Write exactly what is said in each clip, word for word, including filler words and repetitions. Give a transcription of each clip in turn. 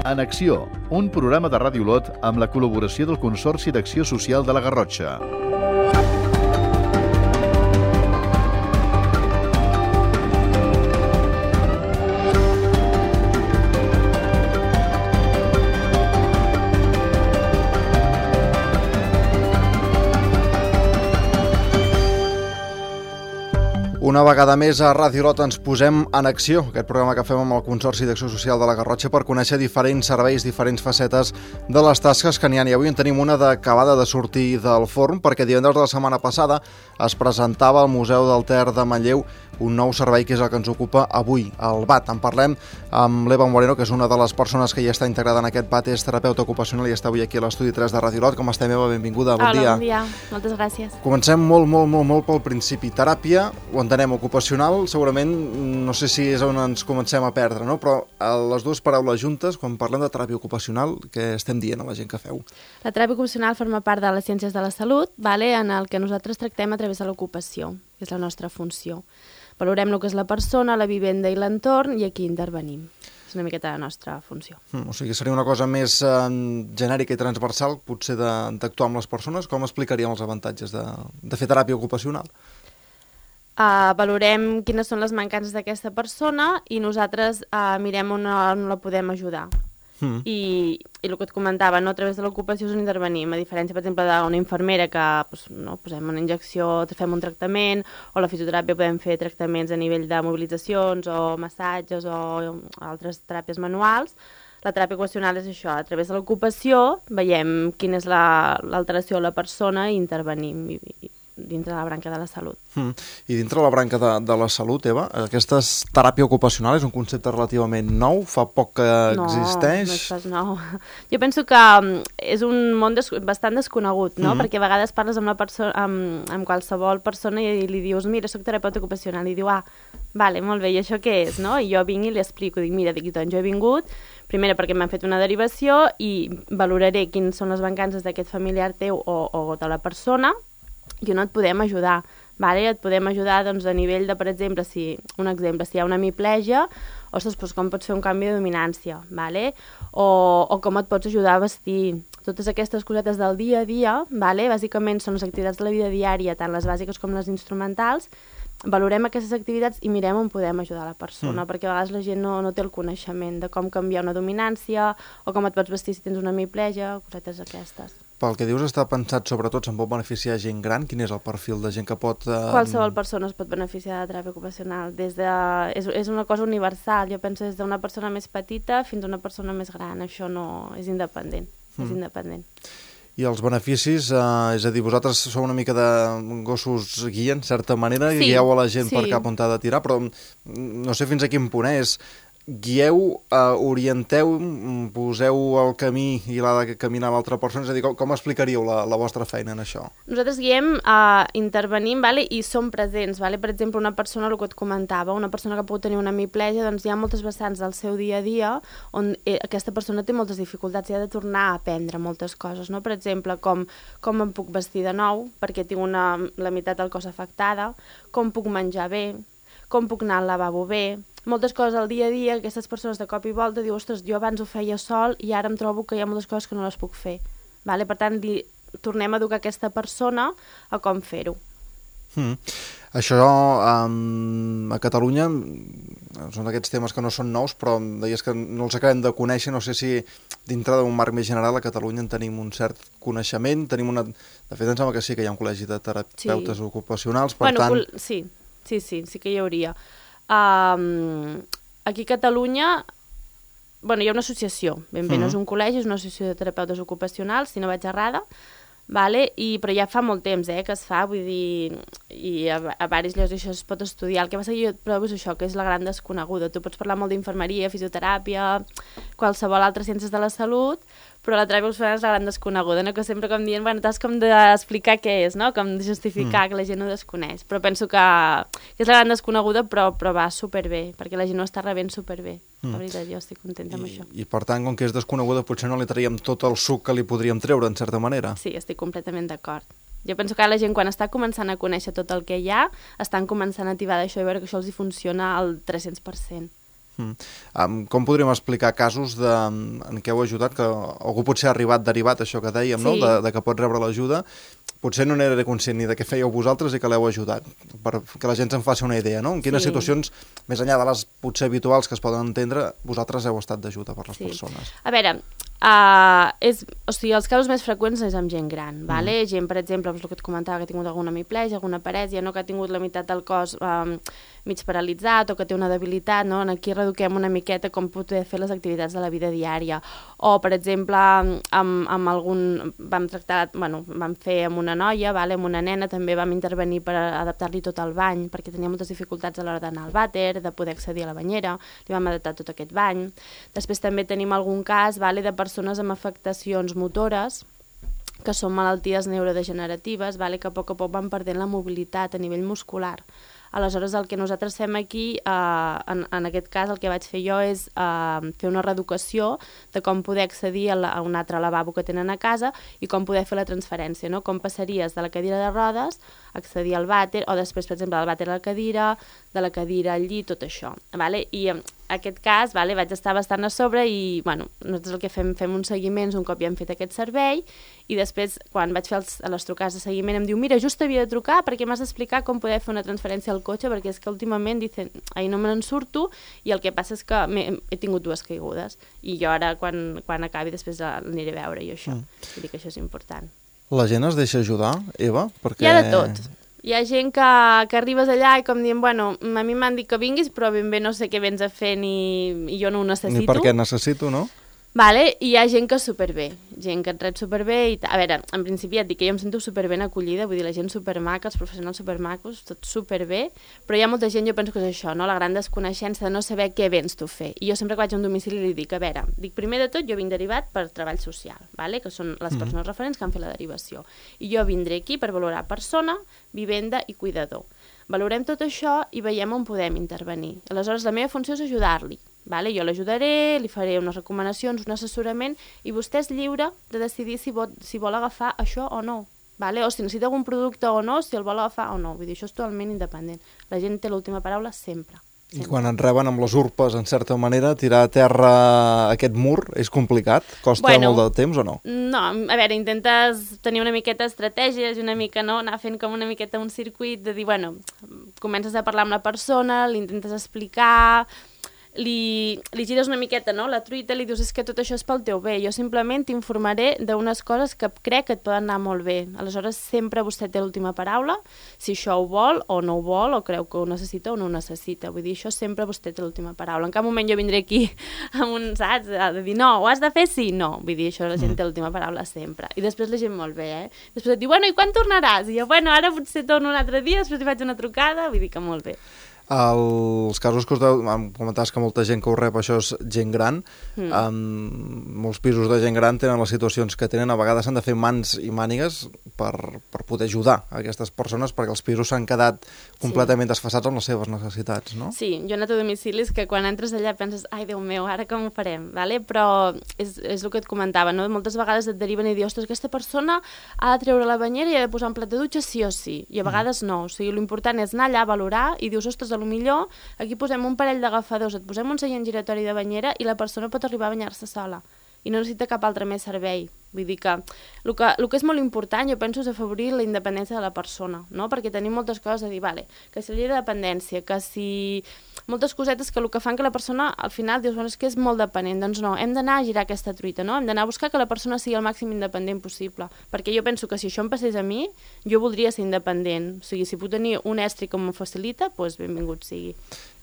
En Acció, un programa de Ràdio Olot amb la col·laboració del Consorci d'Acció Social de la Garrotxa. Una vegada més a Ràdio Olot ens posem en acció, aquest programa que fem amb el Consorci d'Acció Social de la Garrotxa per conèixer diferents serveis, diferents facetes de les tasques que n'hi ha. I avui en tenim una d'acabada de sortir del forn, perquè divendres de la setmana passada es presentava al Museu del Ter de Manlleu un nou servei que és el que ens ocupa avui, el B A T. En parlem amb l'Eva Moreno, que és una de les persones que ja està integrada en aquest B A T, és terapeuta ocupacional i està avui aquí a l'Estudi tres de Ràdio Olot. Com estem, Eva? Benvinguda, bon Hola, dia. bon dia, moltes gràcies. Comencem molt, molt, molt, molt pel principi. Teràpia, ho entenem, ocupacional, segurament, no sé si és on ens comencem a perdre, no? Però les dues paraules juntes, quan parlem de teràpia ocupacional, què estem dient a la gent que feu? La teràpia ocupacional forma part de les ciències de la salut, vale, en el que nosaltres tractem a través de l'ocupació, que és la nostra funció. Valorem el que és la persona, la vivenda i l'entorn, i aquí intervenim. És una miqueta la nostra funció. Mm, o sigui, seria una cosa més eh, genèrica i transversal, potser d'actuar amb les persones. Com explicaríem els avantatges de, de fer teràpia ocupacional? Uh, valorem quines són les mancances d'aquesta persona i nosaltres uh, mirem on, on la podem ajudar. Mm. I, I el que et comentava, no? A través de l'ocupació és on intervenim, a diferència, per exemple, d'una infermera que pues, no, posem una injecció, fem un tractament, o la fisioteràpia podem fer tractaments a nivell de mobilitzacions o massatges o altres teràpies manuals. La teràpia ocupacional és això, a través de l'ocupació veiem quina és l'alteració la, a la persona i intervenim i, i dintre de la branca de la salut. Mm. I dintre de la branca de, de la salut, Eva, aquesta teràpia ocupacional és un concepte relativament nou, fa poc que no, existeix? No, no és pas nou. Jo penso que és un món des, bastant desconegut, no? Mm. Perquè a vegades parles amb, la perso amb, amb qualsevol persona i li dius, mira, soc terapeuta ocupacional, i diu, ah, vale, molt bé, i això què és, no? I jo vinc i li explico, dic, mira, dic, doncs jo he vingut, primera perquè m'han fet una derivació i valoraré quines són les mancances d'aquest familiar teu o, o de la persona, i on et podem ajudar, vale? Et podem ajudar doncs, a nivell de, per exemple, si, un exemple, si hi ha una hemiplegia, ostres, doncs com pots fer un canvi de dominància, vale? o, o com et pots ajudar a vestir. Totes aquestes cosetes del dia a dia, vale? Bàsicament són les activitats de la vida diària, tant les bàsiques com les instrumentals, valorem aquestes activitats i mirem on podem ajudar la persona, mm. perquè a vegades la gent no, no té el coneixement de com canviar una dominància o com et pots vestir si tens una hemiplegia, cosetes aquestes. Pel que dius, està pensat sobretot, se'n pot beneficiar gent gran? Quin és el perfil de gent que pot... Eh... Qualsevol persona es pot beneficiar de teràpia ocupacional. Des de... és, és una cosa universal, jo penso des d'una persona més petita fins a una persona més gran, això no és independent, mm. és independent. I els beneficis, eh, és a dir, vosaltres sou una mica de gossos guia, en certa manera, sí, i guieu a la gent sí. per cap on t'ha de tirar, però no sé fins a quin punt és. Guieu, eh, orienteu, poseu el camí i l'ha de caminar l'altra persona, és a dir, com, com explicaríeu la, la vostra feina en això? Nosaltres guiem, eh, intervenim, vale, i som presents, vale? Per exemple, una persona, el que et comentava, una persona que pot tenir una hemiplegia, doncs hi ha moltes vessants del seu dia a dia on eh, aquesta persona té moltes dificultats i ha de tornar a aprendre moltes coses, no? Per exemple, com, com em puc vestir de nou perquè tinc una, la meitat del cos afectada, com puc menjar bé, com puc anar al lavabo bé, moltes coses al dia a dia, aquestes persones de cop i volta diuen, ostres, jo abans ho feia sol i ara em trobo que hi ha moltes coses que no les puc fer. Vale? Per tant, li, tornem a educar aquesta persona a com fer-ho. Mm. Això um, a Catalunya són d'aquests temes que no són nous, però deies que no els acabem de conèixer. No sé si dintre d'un marc més general a Catalunya en tenim un cert coneixement, tenim una... De fet, em sembla que sí que hi ha un col·legi de terapeutes sí. ocupacionals, per bueno, tant... Sí, sí, sí, sí que hi hauria. Um, aquí a Catalunya, bueno, hi ha una associació, ben bé, uh-huh. no és un col·legi, és una associació de terapeutes ocupacionals, si no vaig errada, vale? I, però ja fa molt temps eh, que es fa, vull dir, i a, a diversos llocs això es pot estudiar. El que passa que jo trobo és això, que és la gran desconeguda. Tu pots parlar molt d'infermeria, fisioteràpia, qualsevol altra ciències de la salut, però la teràpia ocupacional és la gran desconeguda, no? Que sempre com dient, bueno, t'has com d'explicar què és, no? Com de justificar mm. que la gent no desconeix. Però penso que, que és la gran desconeguda, però, però va superbé, perquè la gent no està rebent superbé. Mm. La veritat, jo estic contenta amb I, això. I per tant, com que és desconeguda, potser no li traiem tot el suc que li podríem treure, en certa manera. Sí, estic completament d'acord. Jo penso que la gent, quan està començant a conèixer tot el que hi ha, estan començant a tibar d'això i veure que això els hi funciona al tres-cents per cent. Mm. Um, com podríem explicar casos de, en què heu ajudat, que algú potser ha arribat derivat, això que dèiem, sí. no? de, de que pot rebre l'ajuda, potser no n'era conscient ni de què fèieu vosaltres i que l'heu ajudat, perquè la gent se'n faci una idea, no? En quines sí. situacions, més enllà de les potser habituals que es poden entendre, vosaltres heu estat d'ajuda per les sí. persones? A veure, uh, és, o sigui, els casos més freqüents és amb gent gran, mm. vale? gent, per exemple, el que et comentava, que ha tingut alguna hemiplegia, alguna parèsia, no? que ha tingut la meitat del cos um, mig paralitzat o que té una debilitat, no? Aquí reduquem una miqueta com poder fer les activitats de la vida diària. O, per exemple, amb, amb algun... vam tractar, bueno, vam fer amb una noia, vale? amb una nena, també vam intervenir per adaptar-li tot el bany, perquè tenia moltes dificultats a l'hora d'anar al vàter, de poder accedir a la banyera, li vam adaptar tot aquest bany. Després també tenim algun cas, vale? de persones amb afectacions motores, que són malalties neurodegeneratives, vale? que a poc a poc van perdent la mobilitat a nivell muscular. Aleshores, el que nosaltres fem aquí, eh, en, en aquest cas, el que vaig fer jo és eh, fer una reeducació de com poder accedir a, la, a un altre lavabo que tenen a casa i com poder fer la transferència, no? Com passaries de la cadira de rodes, accedir al vàter, o després, per exemple, del vàter a la cadira, de la cadira al llit, tot això. Vale? I en aquest cas vale, vaig estar bastant a sobre i bueno, nosaltres el que fem, fem uns seguiments un cop ja hem fet aquest servei i després, quan vaig fer els, les trucades de seguiment, em diu, mira, just havia de trucar perquè m'has d'explicar com poder fer una transferència al cotxe, perquè és que últimament dicen, ahir no me n'en surto i el que passa és que he tingut dues caigudes i jo ara, quan, quan acabi, després l'aniré a veure i això. Mm. Vull dir que això és important. La gent es deixa ajudar, Eva? Perquè... Hi ha de tot. Hi ha gent que, que arribes allà i com dient, bueno, a mi m'han dit que vinguis, però ben bé no sé què vens a fer ni i jo no ho necessito. Ni per què necessito, no? Vale, i hi ha gent que superbé, gent que et rep superbé i a veure, en principi ja et dic que jo em sento superben acollida, vull dir, la gent supermaca, els professionals supermacos, tot superbé, però hi ha molta gent, jo penso que és això, no? La gran desconeixença de no saber què vens tu a fer. I jo sempre que vaig a un domicili li dic, a veure, dic, primer de tot jo vinc derivat per treball social, vale? Que són les persones mm-hmm. referents que han fet la derivació. I jo vindré aquí per valorar persona, vivenda i cuidador. Valorem tot això i veiem on podem intervenir. Aleshores, la meva funció és ajudar-li. Vale? Jo l'ajudaré, li faré unes recomanacions, un assessorament, i vostè és lliure de decidir si vol, si vol agafar això o no. Vale? O si necessita algun producte o no, si el vol agafar o no. Vull dir, això és totalment independent. La gent té l'última paraula sempre. sempre. I quan et reben amb les urpes, en certa manera, tirar a terra aquest mur és complicat? Costa bueno, molt de temps o no? No, a veure, intentes tenir una miqueta d'estratègies i una mica, no, anar fent com una miqueta un circuit de dir, bueno, comences a parlar amb la persona, li intentes explicar... Li, li gires una miqueta, no?, la truita, li dius, és que tot això és pel teu bé, jo simplement t'informaré d'unes coses que crec que et poden anar molt bé. Aleshores, sempre vostè té l'última paraula, si això ho vol o no ho vol, o creu que ho necessita o no ho necessita. Vull dir, això sempre vostè té l'última paraula. En cap moment jo vindré aquí amb un, saps, de dir, no, ho has de fer sí, no. Vull dir, això la gent té l'última paraula sempre. I després la gent molt bé, eh? Després et diu, bueno, i quan tornaràs? I jo, bueno, ara potser torno un altre dia, després li faig una trucada, vull dir que molt bé. Els casos que us deu, comentaves que molta gent que ho rep, això és gent gran, mm. um, molts pisos de gent gran tenen les situacions que tenen, a vegades s'han de fer mans i mànigues per, per poder ajudar a aquestes persones, perquè els pisos s'han quedat completament sí. desfasats amb les seves necessitats, no? Sí, jo he anat a domicilis que quan entres allà penses, ai, Déu meu, ara com ho farem? Vale? Però és, és el que et comentava, no? Moltes vegades et deriven i dius, ostres, aquesta persona ha de treure la banyera i ha de posar un plat de dutxa sí o sí, i a vegades mm. no, o sigui, l'important és anar allà a valorar i dius, ostres, a lo millor aquí posem un parell d'agafadors, et posem un seient giratori de banyera i la persona pot arribar a banyar-se sola i no necessita cap altre més servei. Vull dir que el, que el que és molt important, jo penso, és afavorir la independència de la persona, no? Perquè tenim moltes coses a dir, vale, que si la llei de dependència, que si... moltes cosetes que el que fan que la persona al final dius, bueno, és que és molt dependent. Doncs no, hem d'anar a girar aquesta truita, no? Hem d'anar a buscar que la persona sigui el màxim independent possible, perquè jo penso que si això em passés a mi, jo voldria ser independent. O sigui, si puc tenir un estri com em facilita, doncs benvingut sigui.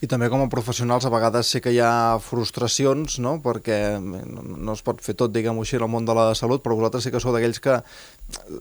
I també com a professionals a vegades sé que hi ha frustracions, no? Perquè no es pot fer tot, diguem-ho així, en el món de la salut, però vosaltres sí que sou d'aquells que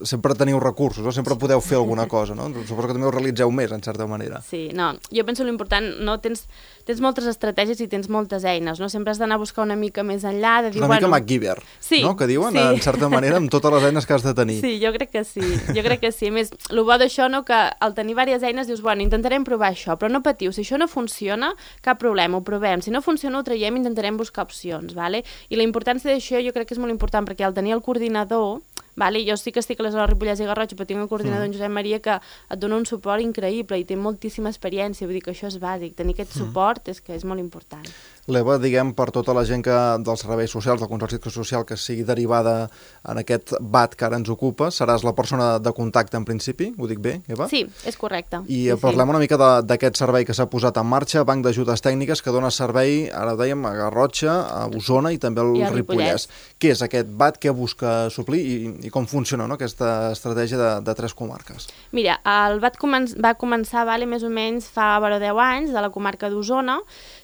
sempre teniu recursos, no? Sempre podeu fer alguna cosa, no? Suposo que també ho realitzeu més, en certa manera. Sí, no, jo penso l'important, no? Tens, tens moltes estratègies i tens moltes eines, no? Sempre has d'anar a buscar una mica més enllà, de dir, una bueno... mica MacGyver, sí, no? Que diuen, sí. En certa manera, amb totes les eines que has de tenir. Sí, jo crec que sí, jo crec que sí. A més, el bo d'això, no?, que al tenir diverses eines dius, bueno, intentarem provar això, però no patiu, si això no funciona, cap problema, ho provem. Si no funciona, ho traiem i intentarem buscar opcions, vale? I la importància d'això jo crec que és molt important, perquè al tenir el coordinador, vale? Jo sí que estic a les hores Ripollès i Garrotxa, però tinc el coordinador mm. en Josep Maria que et dona un suport increïble i té moltíssima experiència, vull dir que això és bàsic, tenir aquest suport és que és molt important. L'E V A, diguem, per tota la gent que dels serveis socials, del Consorci d'Acció Social, que sigui derivada en aquest B A T que ara ens ocupa, seràs la persona de contacte en principi, ho dic bé, Eva? Sí, és correcte. I sí, parlem sí. una mica d'aquest servei que s'ha posat en marxa, Banc d'Ajudes Tècniques, que dona servei, ara ho dèiem, a Garrotxa, a Osona i també al I Ripollès. Què és aquest B A T, què busca suplir i, i com funciona, no?, aquesta estratègia de, de tres comarques? Mira, el B A T comen va començar vale, més o menys fa vora deu anys, de la comarca d'Osona.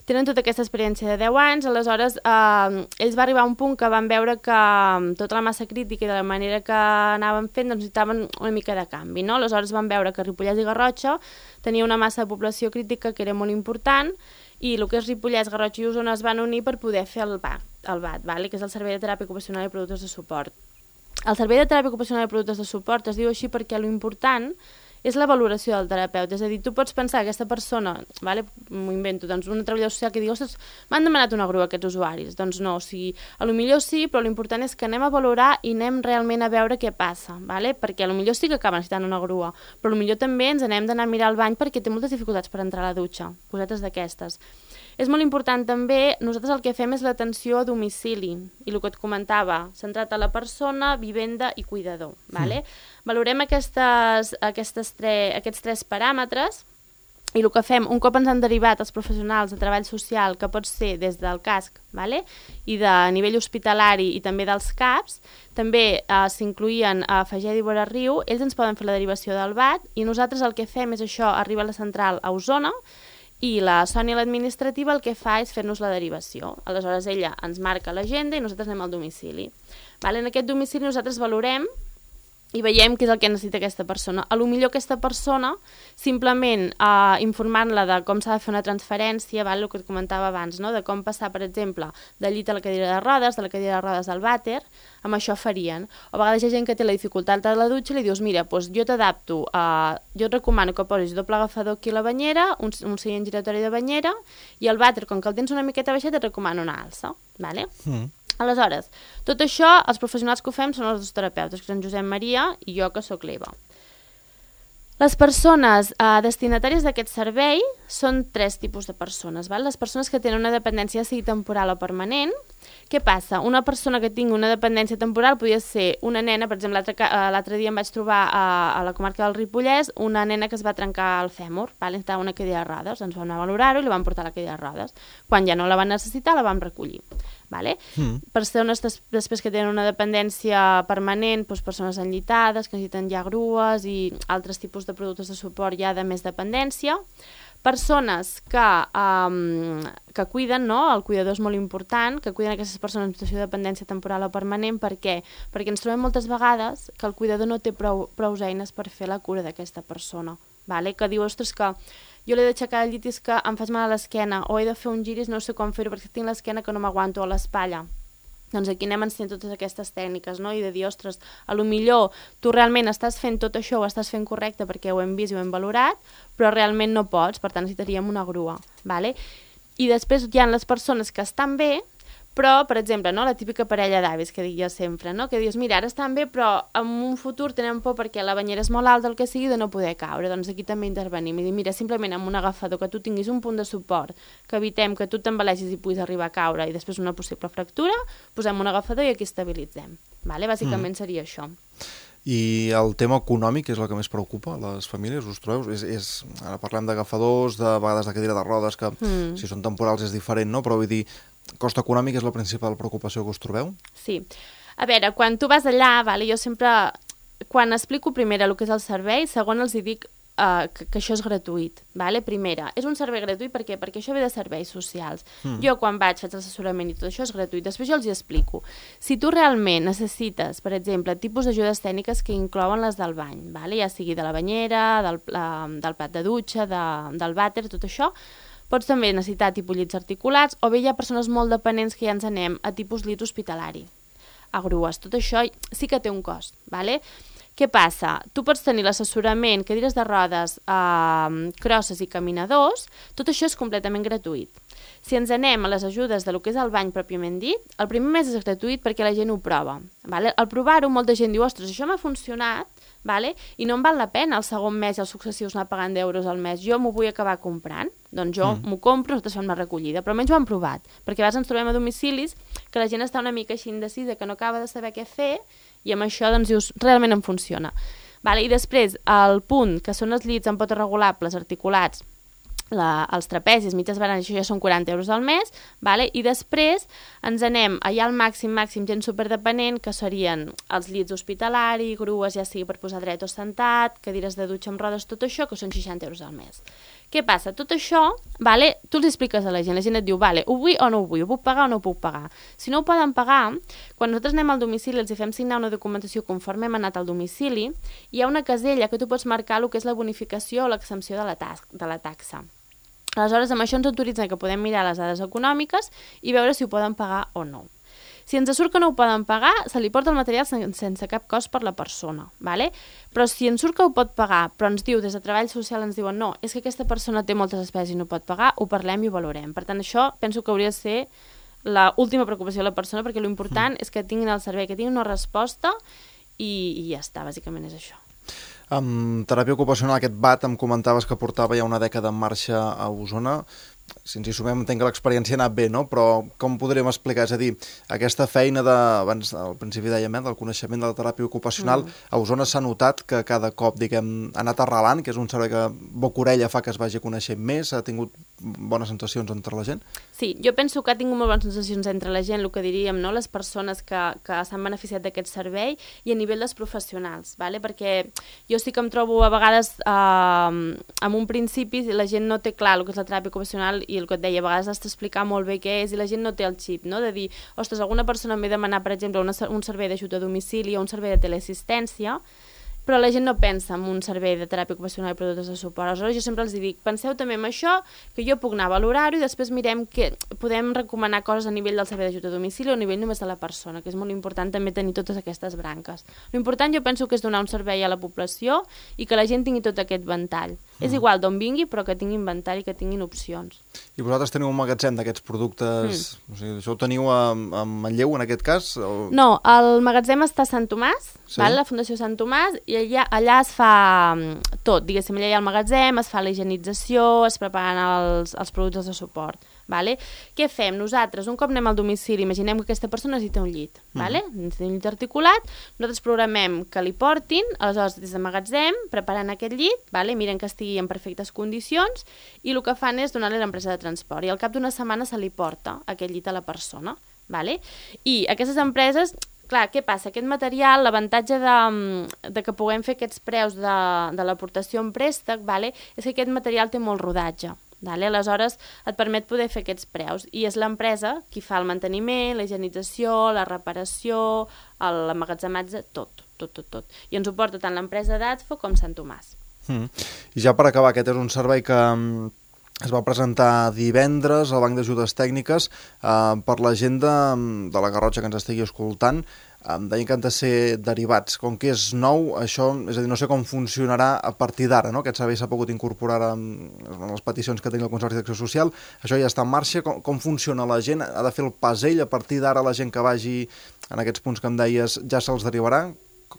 Tenen tota aquesta experiència de deu anys, aleshores eh, ells va arribar a un punt que van veure que tota la massa crítica i de la manera que anaven fent doncs, necessitaven una mica de canvi, no? Aleshores van veure que Ripollès i Garrotxa tenia una massa de població crítica que era molt important i el que és Ripollès, Garrotxa i Osona es van unir per poder fer el B A T, el B A T vale? Que és el Servei de Teràpia Ocupacional i Productes de Suport. El Servei de Teràpia Ocupacional i Productes de Suport es diu així perquè l'important és la valoració del terapeuta, és a dir, tu pots pensar que aquesta persona, vale, m'ho invento, doncs una treballadora social que digui, ostres, m'han demanat una grua aquests usuaris, doncs no, o sigui, a lo millor sí, però l'important és que anem a valorar i anem realment a veure què passa, vale? Perquè a lo millor sí que acaba necessitant una grua, però a lo millor també ens anem d'anar a mirar al bany perquè té moltes dificultats per entrar a la dutxa, cosetes d'aquestes. És molt important també, nosaltres el que fem és l'atenció a domicili, i el que et comentava, centrat a la persona, vivenda i cuidador. Vale? Mm. Valorem aquestes, aquestes tre, aquests tres paràmetres i el que fem, un cop ens han derivat els professionals de treball social, que pot ser des del casc vale? I de nivell hospitalari i també dels C A Ps, també eh, s'incluïen a Fageda i Vora Riu, ells ens poden fer la derivació del B A T i nosaltres el que fem és això, arriba a la central a Osona, i la Sònia, l'administrativa, el que fa és fer-nos la derivació. Aleshores, ella ens marca l'agenda i nosaltres anem al domicili. Vale? En aquest domicili nosaltres valorem i veiem què és el que necessita aquesta persona. A lo millor aquesta persona, simplement eh, informant-la de com s'ha de fer una transferència, val? El que et comentava abans, no? De com passar, per exemple, del llit a la cadira de rodes, de la cadira de rodes al vàter, amb això farien. O a vegades hi ha gent que té la dificultat de la dutxa i li dius, mira, doncs jo t'adapto, eh, jo et recomano que posis doble agafador aquí a la banyera, un, un seient giratori de banyera, i el vàter, com que el tens una miqueta baixet, et recomano una alça. Vale? Mm. Aleshores, tot això, els professionals que ho fem són els dos terapeutes, que són Josep Maria i jo, que sóc l'Eva. Les persones eh, destinatàries d'aquest servei són tres tipus de persones. Val? Les persones que tenen una dependència, sigui temporal o permanent. Què passa? Una persona que tingui una dependència temporal podria ser una nena, per exemple, l'altre dia em vaig trobar a, a la comarca del Ripollès una nena que es va trencar el fèmur, val? Estava una cadira de rodes, ens vam anar a valorar-ho i la vam portar a la cadira de rodes. Quan ja no la van necessitar, la vam recollir. Vale? Mm. Persones des, després que tenen una dependència permanent, doncs persones enllitades, que necessiten ja grues i altres tipus de productes de suport ja de més dependència. Persones que, um, que cuiden, no? El cuidador és molt important, que cuiden aquestes persones en situació de dependència temporal o permanent. Per què? Perquè ens trobem moltes vegades que el cuidador no té prou, prou eines per fer la cura d'aquesta persona. Vale? Que diu, ostres, que jo l'he d'aixecar del llit i és que em faig mal a l'esquena, o he de fer un giris, no sé com fer-ho perquè tinc l'esquena que no m'aguanto, a l'espatlla. Doncs aquí anem ensenyant totes aquestes tècniques, no? I de dir, ostres, a lo millor tu realment estàs fent tot això, ho estàs fent correcte perquè ho hem vist i ho hem valorat, però realment no pots, per tant necessitaríem una grua. Vale? I després hi ha les persones que estan bé, però, per exemple, no, la típica parella d'avis que dic jo sempre, no? Que dius, mira, ara estan bé, però en un futur tenen por perquè la banyera és molt alta, el que sigui, de no poder caure. Doncs aquí també intervenim i dir, mira, simplement amb un agafador que tu tinguis un punt de suport, que evitem que tu t'embaleixis i puguis arribar a caure i després una possible fractura, posem un agafador i aquí estabilitzem. Vale? Bàsicament mm. seria això. I el tema econòmic és el que més preocupa a les famílies, us trobeu? És, és, ara parlem d'agafadors, de vegades de cadira de rodes, que mm. si són temporals és diferent, no? Però vull dir, cost econòmic és la principal preocupació que us trobeu? Sí. A veure, quan tu vas allà, vale, jo sempre, quan explico primera el que és el servei, segon els hi dic uh, que, que això és gratuït. Vale? Primera, és un servei gratuït per què? Perquè això ve de serveis socials. Mm. Jo quan vaig, faig l'assessorament i tot això és gratuït. Després jo els hi explico. Si tu realment necessites, per exemple, tipus d'ajudes tècniques que inclouen les del bany, vale? Ja sigui de la banyera, del, uh, del plat de dutxa, de, del vàter, tot això, pots també necessitar tipus llits articulats, o bé hi ha persones molt dependents que ja ens anem a tipus llit hospitalari, a grues. Tot això sí que té un cost, vale? Què passa? Tu pots tenir l'assessorament, cadires de rodes, eh, crosses i caminadors, tot això és completament gratuït. Si ens anem a les ajudes de lo que és el bany pròpiament dit, el primer mes és gratuït perquè la gent ho prova. Vale? Al provar-ho, molta gent diu, ostres, això m'ha funcionat, vale? I no em val la pena el segon mes i els successius anar pagant d'euros al mes, jo m'ho vull acabar comprant, doncs jo mm. m'ho compro, nosaltres fem la recollida. Però almenys ho han provat, perquè a vegades ens trobem a domicilis que la gent està una mica així indecisa, que no acaba de saber què fer, i amb això doncs dius, realment em funciona. Vale? I després, el punt, que són els llits amb potes regulables, articulats, La, els trapezis, mitges baranes, això ja són quaranta euros al mes, vale? I després ens anem allà al màxim, màxim, gent superdependent, que serien els llits hospitalari, grues, ja sigui per posar dret o sentat, cadires de dutxa amb rodes, tot això, que són seixanta euros al mes. Què passa? Tot això, vale, tu els expliques a la gent, la gent et diu, vale, ho vull o no ho vull, ho puc pagar o no ho puc pagar. Si no ho poden pagar, quan nosaltres anem al domicili, els fem signar una documentació conforme hem anat al domicili, hi ha una casella que tu pots marcar el que és la bonificació o l'exempció de la, de la taxa. Aleshores, amb això ens autoritzen que podem mirar les dades econòmiques i veure si ho poden pagar o no. Si ens surt que no ho poden pagar, se li porta el material sense cap cost per la persona, ¿vale? Però si ens surt que ho pot pagar, però ens diu, des de Treball Social ens diuen no, és que aquesta persona té moltes despeses i no pot pagar, ho parlem i ho valorem. Per tant, això penso que hauria de ser l'última preocupació de la persona, perquè l'important mm. és que tinguin el servei, que tinguin una resposta i, i ja està, bàsicament és això. Amb teràpia ocupacional, aquest B A T em comentaves que portava ja una dècada en marxa a Osona. Si ens hi sumem, entenc que l'experiència ha anat bé, no? Però com podríem explicar? És a dir, aquesta feina de, abans al principi dèiem, eh, del coneixement de la teràpia ocupacional, mm. a Osona s'ha notat que cada cop, diguem, ha anat arrelant, que és un servei que boca-orella fa que es vagi coneixent més, ha tingut bones sensacions entre la gent? Sí, jo penso que ha tingut molt bones sensacions entre la gent, el que diríem, no? Les persones que, que s'han beneficiat d'aquest servei i a nivell dels professionals, ¿vale? Perquè jo sí que em trobo a vegades eh, en un principi la gent no té clar el que és la teràpia ocupacional i el que et deia, a vegades has d'explicar molt bé què és i la gent no té el xip, no? De dir, ostres, alguna persona em ve demanar, per exemple, una, un servei d'ajut a domicili o un servei de teleassistència, però la gent no pensa en un servei de teràpia ocupacional i productes de suport. Aleshores jo sempre els dic, penseu també en això, que jo puc anar a valorar-ho i després mirem que podem recomanar coses a nivell del servei d'ajut a domicili o a nivell només de la persona, que és molt important també tenir totes aquestes branques. L'important jo penso que és donar un servei a la població i que la gent tingui tot aquest ventall. Mm. És igual d'on vingui, però que tingui inventari, que tinguin opcions. I vosaltres teniu un magatzem d'aquests productes, mm. o sigui, això ho teniu a, a Manlleu en aquest cas? O... No, el magatzem està a Sant Tomàs, sí. Val? La Fundació Sant Tomàs, i allà, allà es fa tot, diguéssim, allà hi ha el magatzem, es fa la higienització, es preparen els, els productes de suport. Vale? Què fem? Nosaltres, un cop anem al domicili, imaginem que aquesta persona necessita un llit, mm. vale? Necessita un llit articulat, nosaltres programem que li portin, aleshores des del magatzem, preparen aquest llit, vale? Miren que estigui en perfectes condicions, i el que fan és donar-li a l'empresa de transport, i al cap d'una setmana se li porta aquest llit a la persona. Vale? I aquestes empreses... Clar, què passa? Aquest material, l'avantatge de, de que puguem fer aquests preus de, de l'aportació en préstec, vale? És que aquest material té molt rodatge. Vale? Aleshores, et permet poder fer aquests preus. I és l'empresa qui fa el manteniment, la higienització, la reparació, l'emmagatzematge, tot, tot, tot, tot. I ens ho porta tant l'empresa d'Adfo com Sant Tomàs. Mm. I ja per acabar, aquest és un servei que... es va presentar divendres al Banc d'Ajudes Tècniques eh, per la gent de, de la Garrotxa que ens estigui escoltant. Eh, deien que han de ser derivats. Com que és nou, això, és a dir, no sé com funcionarà a partir d'ara, no? Aquest servei s'ha pogut incorporar en, en les peticions que tenia el Consorci d'Acció Social. Això ja està en marxa. Com, com funciona la gent? Ha de fer el pas ell? A partir d'ara la gent que vagi en aquests punts que em deies ja se'ls derivarà?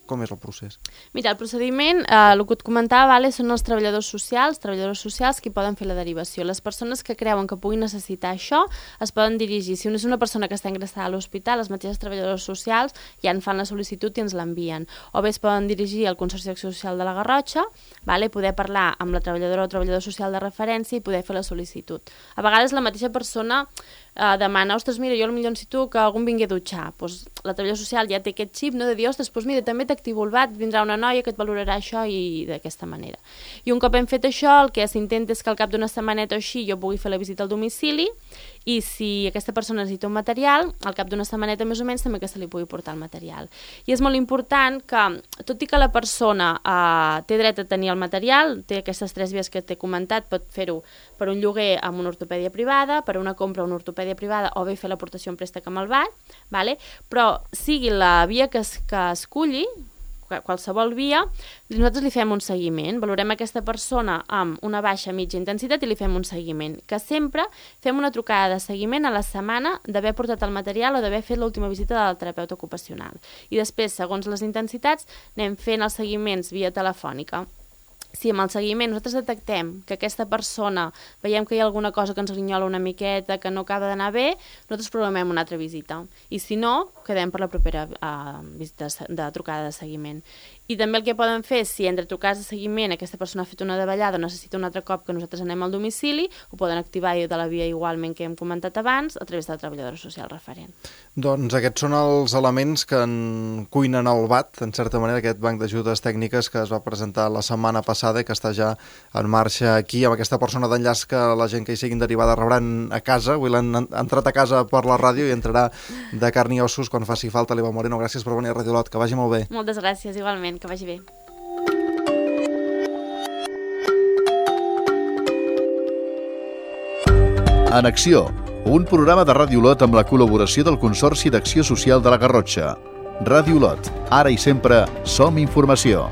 Com és el procés? Mira, el procediment, eh, el que et comentava, vale, són els treballadors socials, treballadors socials qui poden fer la derivació. Les persones que creuen que puguin necessitar això es poden dirigir. Si és una persona que està ingressada a l'hospital, les mateixes treballadors socials ja en fan la sol·licitud i ens l'envien. O bé es poden dirigir al Consorci d'Acció Social de la Garrotxa, vale, poder parlar amb la treballadora o treballador social de referència i poder fer la sol·licitud. A vegades la mateixa persona eh, demana, ostres, mira, jo potser necessito que algú em vingui a dutxar. Pues, la treballadora social ja té aquest xip, no?, de dir, ostres, pues mira, també t'activo el B A T, vindrà una noia que et valorarà això i d'aquesta manera. I un cop hem fet això, el que s'intenta és que al cap d'una setmaneta o així jo pugui fer la visita al domicili i si aquesta persona necessita un material, al cap d'una setmaneta més o menys també que se li pugui portar el material. I és molt important que, tot i que la persona eh, té dret a tenir el material, té aquestes tres vies que t'he comentat, pot fer-ho per un lloguer amb una ortopèdia privada, per una compra a una ortopèdia privada o bé fer l'aportació en préstec amb el B A T, vale? Però sigui la via que, es, que esculli, qualsevol via, nosaltres li fem un seguiment, valorem aquesta persona amb una baixa mitja intensitat i li fem un seguiment, que sempre fem una trucada de seguiment a la setmana d'haver portat el material o d'haver fet l'última visita del terapeuta ocupacional. I després, segons les intensitats, anem fent els seguiments via telefònica. si amb el seguiment nosaltres detectem que aquesta persona, veiem que hi ha alguna cosa que ens grinyola una miqueta, que no acaba d'anar bé, nosaltres programem una altra visita. I si no, quedem per la propera uh, visita de trucada de seguiment. I també el que poden fer, si entre trucades de seguiment aquesta persona ha fet una davallada o necessita un altre cop que nosaltres anem al domicili, ho poden activar de la via igualment que hem comentat abans a través de la treballadora social referent. Doncs aquests són els elements que en cuinen el B A T, en certa manera, aquest banc d'ajudes tècniques que es va presentar la setmana passada i que està ja en marxa aquí, amb aquesta persona d'enllaç que la gent que hi siguin derivada rebran a casa. Avui l'han entrat a casa per la ràdio i entrarà de carn i ossos quan faci falta. L'Eva Moreno, gràcies per venir a Radio Lot, que vagi molt bé. Moltes gràcies, igualment. Que vagi bé. En Acció, un programa de Ràdio Lot amb la col·laboració del Consorci d'Acció Social de la Garrotxa. Ràdio Lot, ara i sempre som informació.